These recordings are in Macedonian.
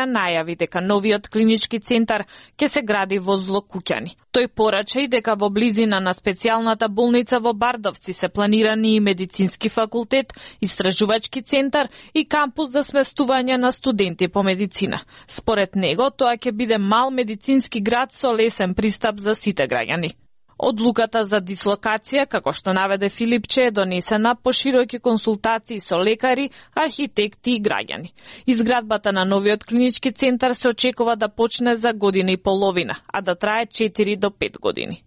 најави дека новиот клинички центар ќе се гради во Злокуќани. Тој порача и дека во близина на специјалната болница во Бардовци се планирани и медицински факултет, истражувачки центар и кампус за сместување на студенти по медицина. Според него, тоа ќе биде мал медицински град со лесен пристап за сите граѓани. Одлуката за дислокација, како што наведе Филипче, е донесена по широки консултации со лекари, архитекти и граѓани. Изградбата на новиот клинички центар се очекува да почне за година и половина, а да трае 4 до 5 години.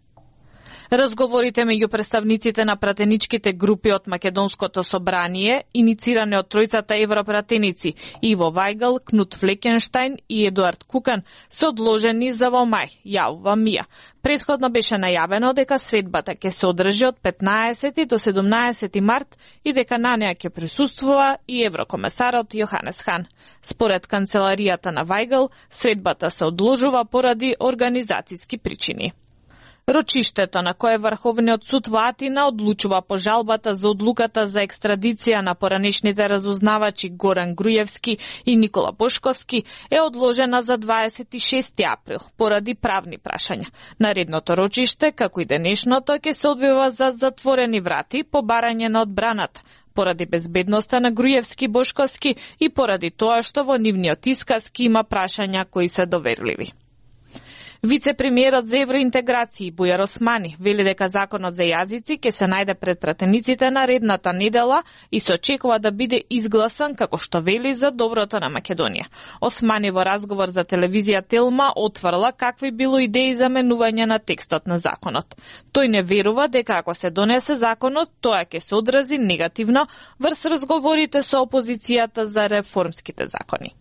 Разговорите меѓу представниците на пратеничките групи од Македонското собрание, инициране од тројцата европратеници Иво Вајгал, Кнут Флекенштајн и Едуард Кукан, се одложени за во мај, јавува МИА. Претходно беше најавено дека средбата ќе се одржи од 15 до 17 март и дека на неа ќе присуствува и еврокомесарот Јоханес Хан. Според канцеларијата на Вајгал, средбата се одложува поради организацијски причини. Рочиштето на кое Врховниот суд во Атина одлучува по жалбата за одлуката за екстрадиција на поранешните разузнавачи Горан Груевски и Никола Бошковски е одложена за 26 април поради правни прашања. Наредното рочиште, како и денешното, ќе се одвива за затворени врати по барање на одбраната, поради безбедноста на Груевски Бошковски и поради тоа што во нивниот исказ има прашања кои се доверливи. Вице-премиерот за евроинтеграција Бујар Османи вели дека законот за јазици ќе се најде пред пратениците наредната недела и се очекува да биде изгласан, како што вели, за доброто на Македонија. Османи во разговор за телевизија Телма отврла какви било идеи за менување на текстот на законот. Тој не верува дека ако се донесе законот, тоа ќе се одрази негативно врз разговорите со опозицијата за реформските закони.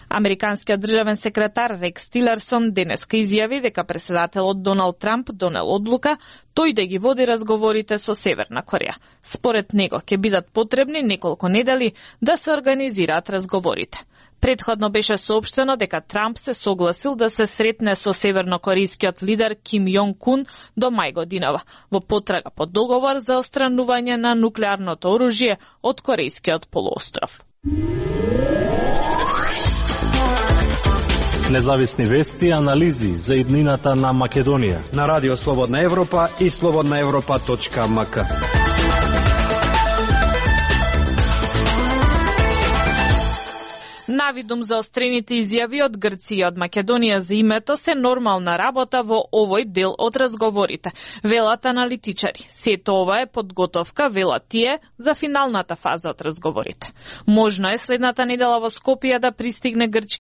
Американскиот државен секретар Рекс Тилерсон денеска изјави дека претседателот Доналд Трамп донел одлука тој да ги води разговорите со Северна Кореја. Според него ќе бидат потребни неколку недели да се организираат разговорите. Претходно беше соопштено дека Трамп се согласил да се сретне со севернокорејскиот лидер Ким Јонг Кун до мај годинава, во потрага по договор за отстранување на нуклеарното оружје од Корејскиот полуостров. Независни вести и анализи за иднината на Македонија на Радио Слободна Европа и slobodnaevropa.mk. Навидум за острените изјави од Грција и од Македонија за името се нормална работа во овој дел од разговорите, велат аналитичари. Сето ова е подготовка, велат тие, за финалната фаза од разговорите. Можно е следната недела во Скопје да пристигне грчки